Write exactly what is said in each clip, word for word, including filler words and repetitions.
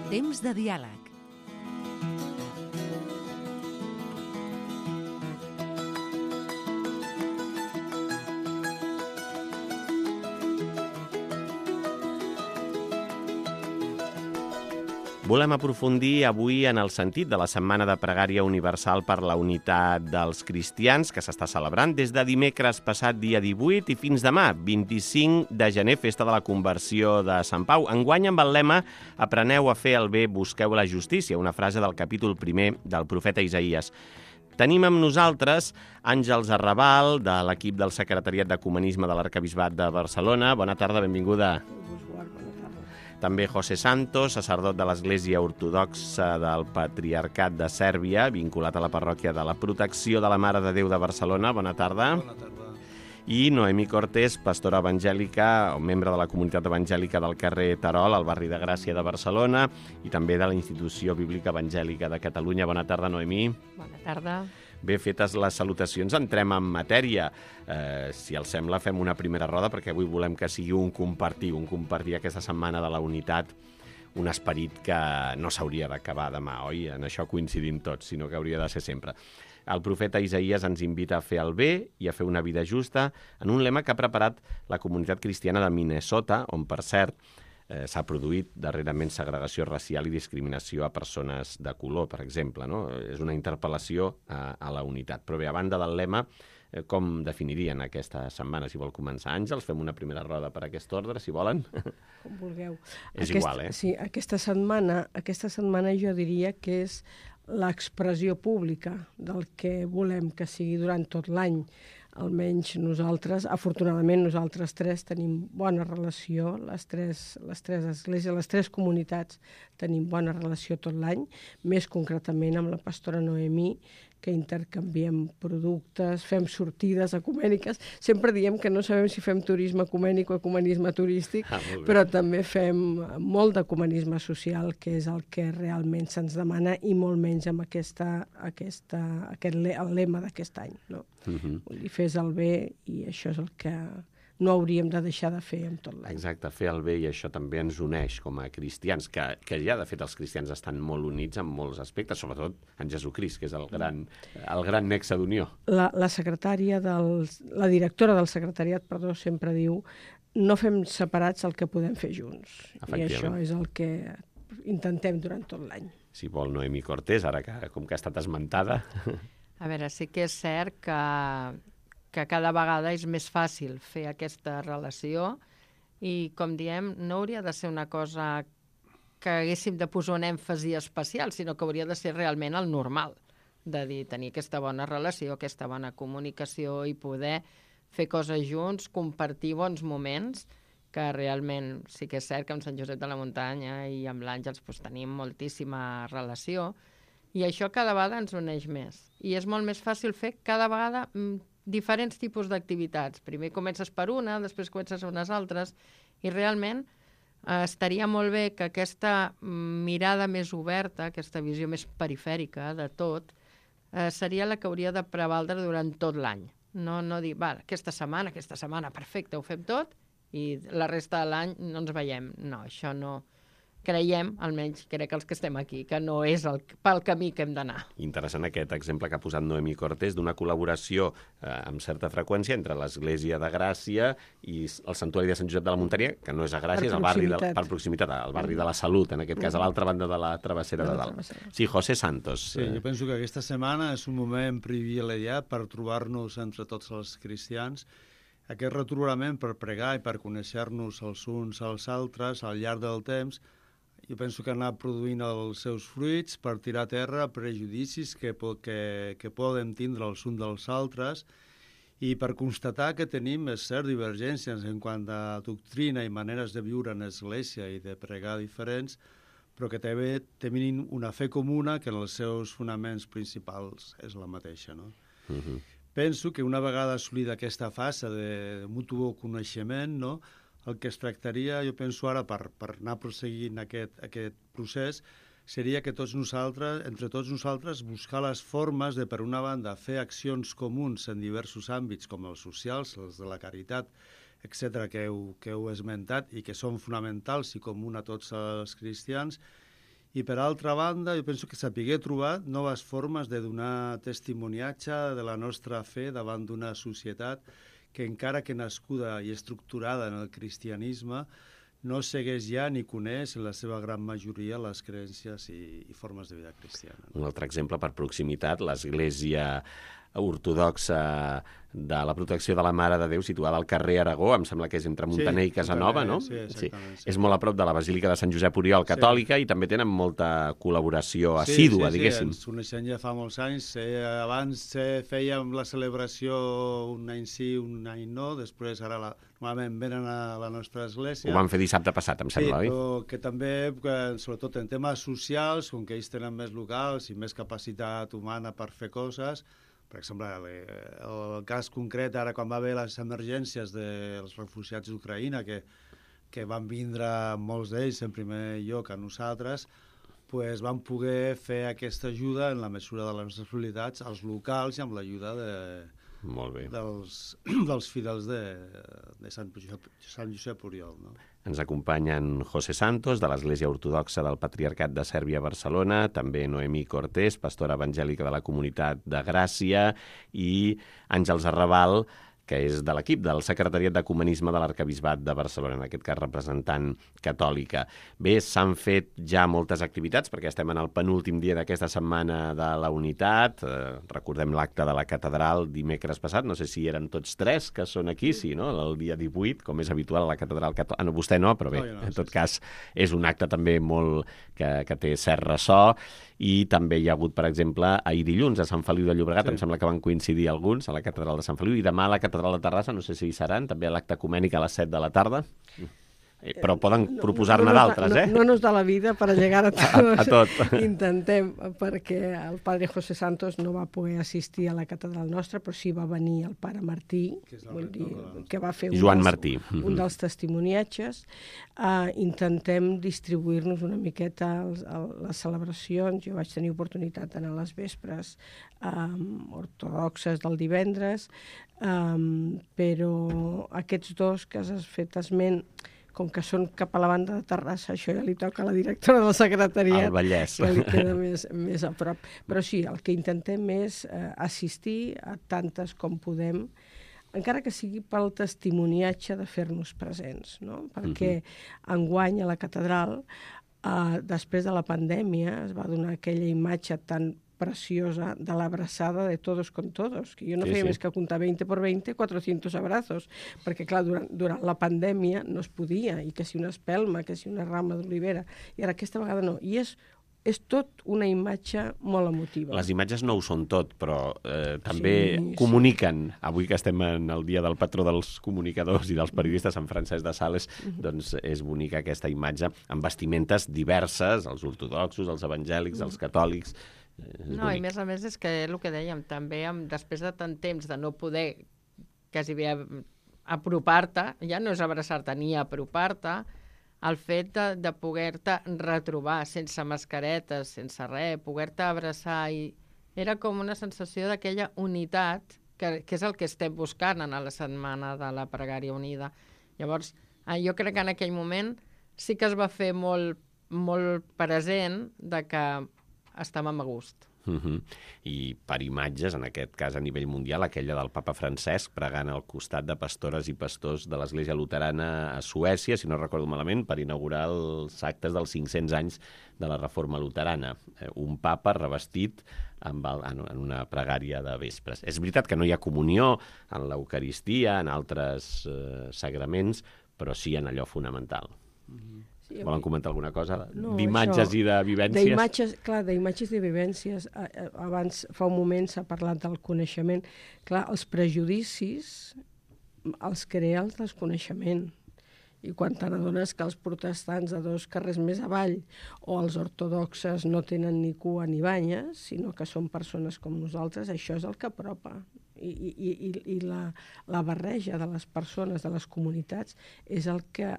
Temps de diàleg. Volem aprofundir avui en el sentit de la Setmana de Pregària Universal per la Unitat dels Cristians, que s'està celebrant des de dimecres passat dia divuit i fins demà, vint-i-cinc de gener, festa de la conversió de Sant Pau. Enguany amb el lema «Apreneu a fer el bé, busqueu la justícia», una frase del capítol primer del profeta Isaïes. Tenim amb nosaltres Àngels Arrabal, de l'equip del Secretariat d'Ecumenisme de l'Arquebisbat de Barcelona. Bona tarda, benvinguda. També José Santos, sacerdot de l'Església Ortodoxa del Patriarcat de Sèrbia, vinculat a la parròquia de la Protecció de la Mare de Déu de Barcelona. Bona tarda. Bona tarda. I Noemí Cortés, pastora evangèlica, o membre de la comunitat evangèlica del carrer Terol, al barri de Gràcia de Barcelona, i també de la Institució Bíblica Evangèlica de Catalunya. Bona tarda, Noemí. Bona tarda. Bé, fetes les salutacions, entrem en matèria. Eh, si els sembla, fem una primera roda, perquè avui volem que sigui un compartir, un compartir aquesta setmana de la unitat, un esperit que no s'hauria d'acabar demà, oi? En això coincidim tots, sinó que hauria de ser sempre. El profeta Isaïes ens invita a fer el bé i a fer una vida justa en un lema que ha preparat la comunitat cristiana de Minnesota, on, per cert, eh, s'ha produït darrerament segregació racial i discriminació a persones de color, per exemple, no? És una interpel·lació a, a la unitat. Però bé, a banda del lema, eh, com definirien aquesta setmana? Si vol començar, Àngels, fem una primera roda per aquest ordre, si volen. Com vulgueu. És Aquest, igual, eh? Sí, aquesta setmana, aquesta setmana jo diria que és l'expressió pública del que volem que sigui durant tot l'any. Almenys nosaltres, afortunadament nosaltres tres tenim bona relació, les tres, les tres esglésies, les tres comunitats tenim bona relació tot l'any, més concretament amb la pastora Noemí, que intercanviem productes, fem sortides ecumèniques. Sempre diem que no sabem si fem turisme ecumènic o ecumenisme turístic, ah, però també fem molt d'ecumenisme social, que és el que realment se'ns demana, i molt menys amb aquesta, aquesta, aquest, el lema d'aquest any. No? Uh-huh. Vull dir, fes el bé, i això és el que no hauríem de deixar de fer en tot l'any. Exacte, fer el bé, i això també ens uneix com a cristians, que, que ja de fet els cristians estan molt units en molts aspectes, sobretot en Jesucrist, que és el gran, el gran nexe d'unió. La, la secretària del, la directora del secretariat, perdó, sempre diu no fem separats el que podem fer junts. I això és el que intentem durant tot l'any. Si vol, Noemí Cortés, ara que com que ha estat esmentada. A veure, sí que és cert que que cada vegada és més fàcil fer aquesta relació i, com diem, no hauria de ser una cosa que haguéssim de posar un èmfasi especial, sinó que hauria de ser realment el normal, de dir, tenir aquesta bona relació, aquesta bona comunicació i poder fer coses junts, compartir bons moments, que realment sí que és cert que amb Sant Josep de la Muntanya i amb l'Àngels doncs, tenim moltíssima relació, i això cada vegada ens uneix més. I és molt més fàcil fer cada vegada diferents tipus d'activitats. Primer comences per una, després comences unes altres, i realment eh, estaria molt bé que aquesta mirada més oberta, aquesta visió més perifèrica de tot, eh, seria la que hauria de prevaldre durant tot l'any. No, no dir, va, aquesta setmana, aquesta setmana, perfecte, ho fem tot, i la resta de l'any no ens veiem. No, això no... Creiem, almenys crec que els que estem aquí, que no és el, pel camí que hem d'anar. Interessant aquest exemple que ha posat Noemí Cortés d'una col·laboració eh, amb certa freqüència entre l'Església de Gràcia i el Santuari de Sant Josep de la Muntanya, que no és a Gràcia, és al barri de, per proximitat, al barri de la Salut, en aquest cas, a l'altra banda de la travessera de dalt. Sí, José Santos. Sí, jo penso que aquesta setmana és un moment privilegiat per trobar-nos entre tots els cristians. Aquest retrobament per pregar i per conèixer-nos els uns als altres al llarg del temps, jo penso que anar produint els seus fruits per tirar a terra prejudicis que, que, que poden tindre els uns dels altres i per constatar que tenim, és cert, divergències en quant a doctrina i maneres de viure en l'església i de pregar diferents, però que també tenim una fe comuna que en els seus fonaments principals és la mateixa, no? Uh-huh. Penso que una vegada assolida aquesta fase de mutu coneixement, no?, el que es tractaria, jo penso ara, per, per anar prosseguint aquest, aquest procés, seria que tots nosaltres, entre tots nosaltres, buscar les formes de, per una banda, fer accions comuns en diversos àmbits, com els socials, els de la caritat, etcètera, que heu, que heu esmentat i que són fonamentals i comuns a tots els cristians, I, per altra banda, jo penso que sapigué trobar noves formes de donar testimoniatge de la nostra fe davant d'una societat que, encara que nascuda i estructurada en el cristianisme, no segueix ja ni coneix en la seva gran majoria les creences i, i formes de vida cristiana. Un altre exemple per proximitat, l'Església ortodoxa de la Protecció de la Mare de Déu, situada al carrer Aragó, em sembla que és entre Montaner sí, i Casanova, no? Sí, exactament. Sí. Sí. És molt a prop de la Basílica de Sant Josep Oriol, catòlica, sí. I també tenen molta col·laboració assídua, sí, sí, diguéssim. Sí, ens coneixem ja fa molts anys. Eh, abans eh, fèiem la celebració un any sí, un any no, després ara la, normalment venen a la nostra església. Ho van fer dissabte passat, em sembla, sí, oi? Però que també, que, sobretot en temes socials, com que ells tenen més locals i més capacitat humana per fer coses. Per exemple, el cas concret, ara quan va haver les emergències dels refugiats d'Ucraïna, que, que van vindre molts d'ells en primer lloc a nosaltres, pues van poder fer aquesta ajuda en la mesura de les nostres possibilitats als locals i amb l'ajuda de, Molt bé. dels, dels fidels de, de Sant Josep, Sant Josep Oriol. No? Ens acompanyen José Santos, de l'Església Ortodoxa del Patriarcat de Sèrbia a Barcelona, també Noemí Cortés, pastora evangèlica de la Comunitat de Gràcia, i Àngels Arrabal, que és de l'equip del Secretariat d'Ecumenisme de l'Arquebisbat de Barcelona, en aquest cas representant catòlica. Bé, s'han fet ja moltes activitats, perquè estem en el penúltim dia d'aquesta setmana de la Unitat. Eh, recordem l'acte de la catedral dimecres passat, no sé si eren tots tres que són aquí, sí, no? El dia divuit, com és habitual a la catedral catòlica. Ah, no, vostè no, però bé, no, no, en tot sí, cas, és un acte també molt que, que té cert ressò. I també hi ha hagut, per exemple, ahir dilluns a Sant Feliu de Llobregat, sí. Em sembla que van coincidir alguns a la catedral de Sant Feliu, i demà a la catedral de Terrassa, no sé si hi seran, també a l'acte ecumènic a les set de la tarda. Però poden proposar-ne no, no, d'altres, no, eh? No, no nos da la vida per llegar a tots. a, a tot. Intentem, perquè el padre José Santos no va poder assistir a la catedral nostra, però sí va venir el pare Martí, que, vull dir, que va fer un Joan dels, Martí. un dels testimoniatges. Uh, intentem distribuir-nos una miqueta als, a les celebracions. Jo vaig tenir oportunitat d'anar a les vespres um, ortodoxes del divendres, um, però aquests dos que has fet esment, com que són cap a la banda de Terrassa, això ja li toca a la directora del secretariat, al Vallès, que li queda més, més a prop. Però sí, el que intentem és eh, assistir a tantes com podem, encara que sigui pel testimoniatge de fer-nos presents, no? Perquè uh-huh. enguany a la catedral, eh, després de la pandèmia, es va donar aquella imatge tan preciosa de l'abraçada de todos con todos, que jo no sí, feia sí. més que comptar veinte por veinte, cuatrocientos abrazos, perquè clar, durant, durant la pandèmia no es podia, i que si una espelma, que si una rama d'olivera, i ara aquesta vegada no, i és, és tot una imatge molt emotiva. Les imatges no ho són tot, però eh, també sí, sí. comuniquen, avui que estem en el dia del patró dels comunicadors i dels periodistes, Sant Francesc de Sales, uh-huh. doncs és bonica aquesta imatge, amb vestimentes diverses, els ortodoxos, els evangèlics, uh-huh. els catòlics. No, i més a més és que el que dèiem, també amb, després de tant temps de no poder quasi bé apropar-te, ja no és abraçar-te ni apropar-te, el fet de, de poder-te retrobar sense mascaretes, sense res, poder-te abraçar, i era com una sensació d'aquella unitat que, que és el que estem buscant en la setmana de la Pregària Unida. Llavors, jo crec que en aquell moment sí que es va fer molt, molt present de que estàvem a gust. Uh-huh. I per imatges, en aquest cas a nivell mundial, aquella del papa Francesc pregant al costat de pastores i pastors de l'Església Luterana a Suècia, si no recordo malament, per inaugurar els actes dels cinc-cents anys de la Reforma Luterana. Un papa revestit amb el, en una pregària de vespres. És veritat que no hi ha comunió en l'Eucaristia, en altres eh, sagraments, però sí en allò fonamental. Uh-huh. Sí, volen comentar alguna cosa no, d'imatges i de vivències? D'imatges, clar, d'imatges i de vivències. Abans, fa un moment, s'ha parlat del coneixement. Clar, els prejudicis els crea el desconeixement. I quan te n'adones que els protestants de dos carrers més avall o els ortodoxes no tenen ni cua ni banyes, sinó que són persones com nosaltres, això és el que apropa. I, i, i, i la, la barreja de les persones, de les comunitats, és el que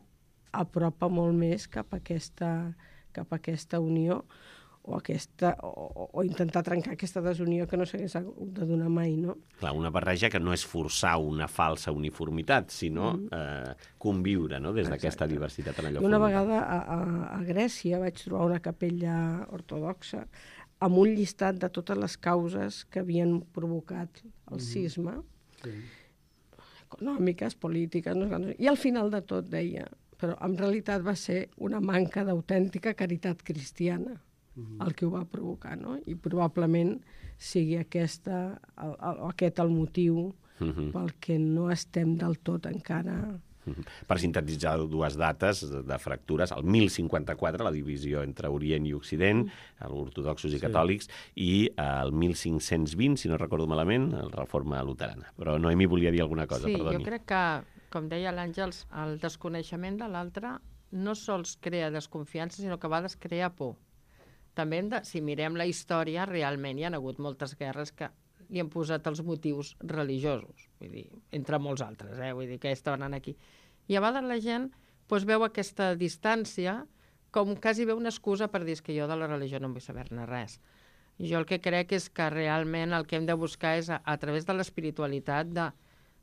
apropa molt més cap a aquesta, cap a aquesta unió, o, aquesta, o, o intentar trencar aquesta desunió que no s'hagués hagut de donar mai, no? Clar, una barreja que no és forçar una falsa uniformitat, sinó mm. eh, conviure, no?, des d'aquesta diversitat en allò Una formitat. vegada a, a, a Grècia vaig trobar una capella ortodoxa amb un llistat de totes les causes que havien provocat el cisma, Sí. econòmiques, polítiques, no sé, i al final de tot deia, però en realitat va ser una manca d'autèntica caritat cristiana el que ho va provocar, no? I probablement sigui aquesta, el, el, aquest el motiu Mhm. pel que no estem del tot encara... Mhm. Per sintetitzar dues dates de fractures, el mil cinquanta-quatre, la divisió entre Orient i Occident, ortodoxos i catòlics, i el mil cinc-cents vint, si no recordo malament, la reforma luterana. Però Noemí volia dir alguna cosa, sí, perdoni. jo crec que, com deia l'Àngels, el desconeixement de l'altre no sols crea desconfiança, sinó que a vegades crea por. També, hem de, si mirem la història, realment hi ha hagut moltes guerres que li han posat els motius religiosos, vull dir, entre molts altres, eh? Vull dir que estaven aquí. I a vegades la gent doncs, veu aquesta distància com quasi veu una excusa per dir que jo de la religió no en vull saber-ne res. Jo el que crec és que realment el que hem de buscar és, a, a través de l'espiritualitat, de,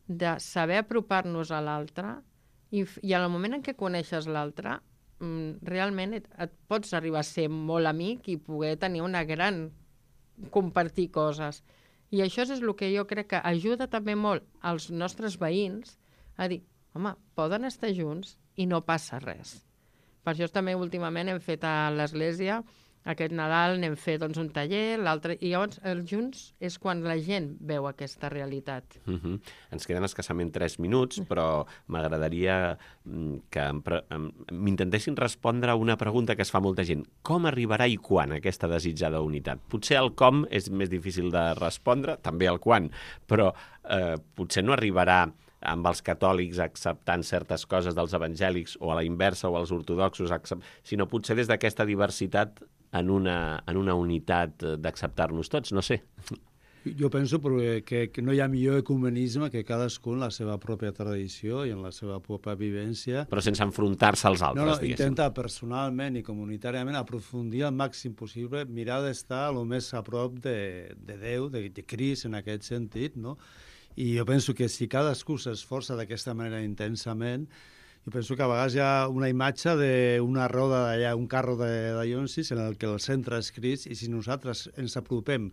de saber apropar-nos a l'altre i, i en el moment en què coneixes l'altre, realment et, et pots arribar a ser molt amic i poder tenir una gran... compartir coses. I això és el que jo crec que ajuda també molt als nostres veïns a dir, home, poden estar junts i no passa res. Per això també últimament hem fet a l'església, aquest Nadal n'hem fet doncs, un taller, l'altre... I llavors els junts és quan la gent veu aquesta realitat. Uh-huh. Ens queden escassament tres minuts, però m'agradaria que m'intentessin respondre a una pregunta que es fa molta gent. Com arribarà i quan aquesta desitjada unitat? Potser el com és més difícil de respondre, també el quan, però eh, potser no arribarà amb els catòlics acceptant certes coses dels evangèlics o a la inversa o als ortodoxos, accept... sinó potser des d'aquesta diversitat en una, en una unitat d'acceptar-nos tots, no sé. Jo penso que, que no hi ha millor ecumenisme que cadascú en la seva pròpia tradició i en la seva pròpia vivència. Però sense enfrontar-se als altres, no, no, diguéssim. Intenta personalment i comunitàriament aprofundir al màxim possible, mirar d'estar el més a prop de, de Déu, de, de Crist en aquest sentit, no? I jo penso que si cadascú s'esforça d'aquesta manera intensament, jo penso que a vegades hi ha una imatge d'una roda d'allà, un carro de, de Llonsis en el que el centre és Crist, i si nosaltres ens apropem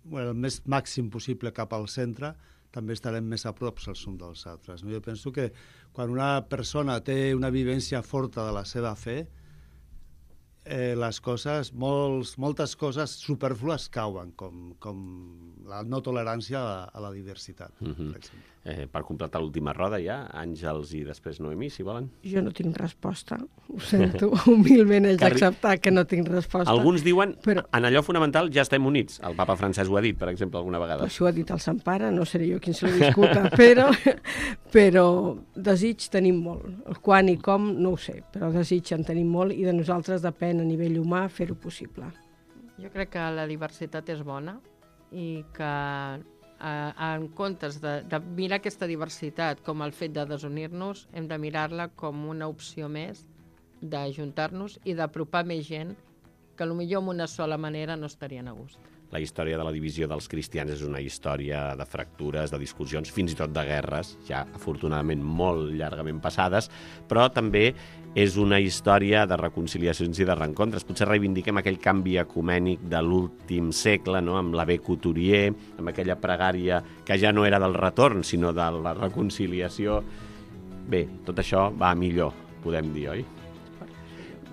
bueno, el més màxim possible cap al centre, també estarem més a prop els uns dels altres. No? Jo penso que quan una persona té una vivència forta de la seva fe, eh, les coses, molts, moltes coses superflues cauen, com, com la no tolerància a la, a la diversitat, uh-huh. per exemple. Eh, per completar l'última roda ja, Àngels i després Noemí, si volen. Jo no tinc resposta, ho sento, humilment haig d'acceptar que no tinc resposta. Alguns diuen, però... en allò fonamental ja estem units. El papa Francesc ho ha dit, per exemple, alguna vegada. Això ho ha dit el Sant Pare, no seré jo qui se li discuta, però, però desig tenim molt. El quan i com no ho sé, però desig en tenim molt i de nosaltres depèn a nivell humà fer-ho possible. Jo crec que la diversitat és bona i que en comptes de, de mirar aquesta diversitat com el fet de desunir-nos, hem de mirar-la com una opció més d'ajuntar-nos i d'apropar més gent que potser amb una sola manera no estarien a gust. La història de la divisió dels cristians és una història de fractures, de discussions, fins i tot de guerres, ja afortunadament molt llargament passades, però també és una història de reconciliacions i de reencontres. Potser reivindiquem aquell canvi ecumènic de l'últim segle, no?, amb l'abbé Couturier, amb aquella pregària que ja no era del retorn, sinó de la reconciliació. Bé, tot això va a millor, podem dir, oi?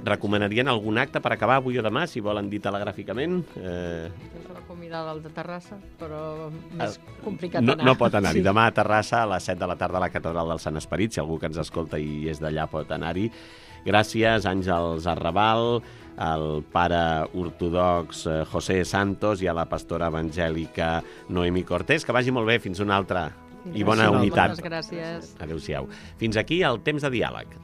Recomanarien algun acte per acabar avui o demà, si volen dir telegràficament? Eh... És la convidada al de Terrassa, però més complicat no, anar. No pot anar-hi. Sí. Demà a Terrassa, a les set de la tarda, a la Catedral del Sant Esperit. Si algú que ens escolta i és d'allà pot anar-hi. Gràcies, Àngels Arrabal, al pare ortodox José Santos i a la pastora evangèlica Noemí Cortés. Que vagi molt bé. Fins una altra. I bona Gràcies, unitat. moltes gràcies. Adéu-siau. Fins aquí el Temps de Diàleg.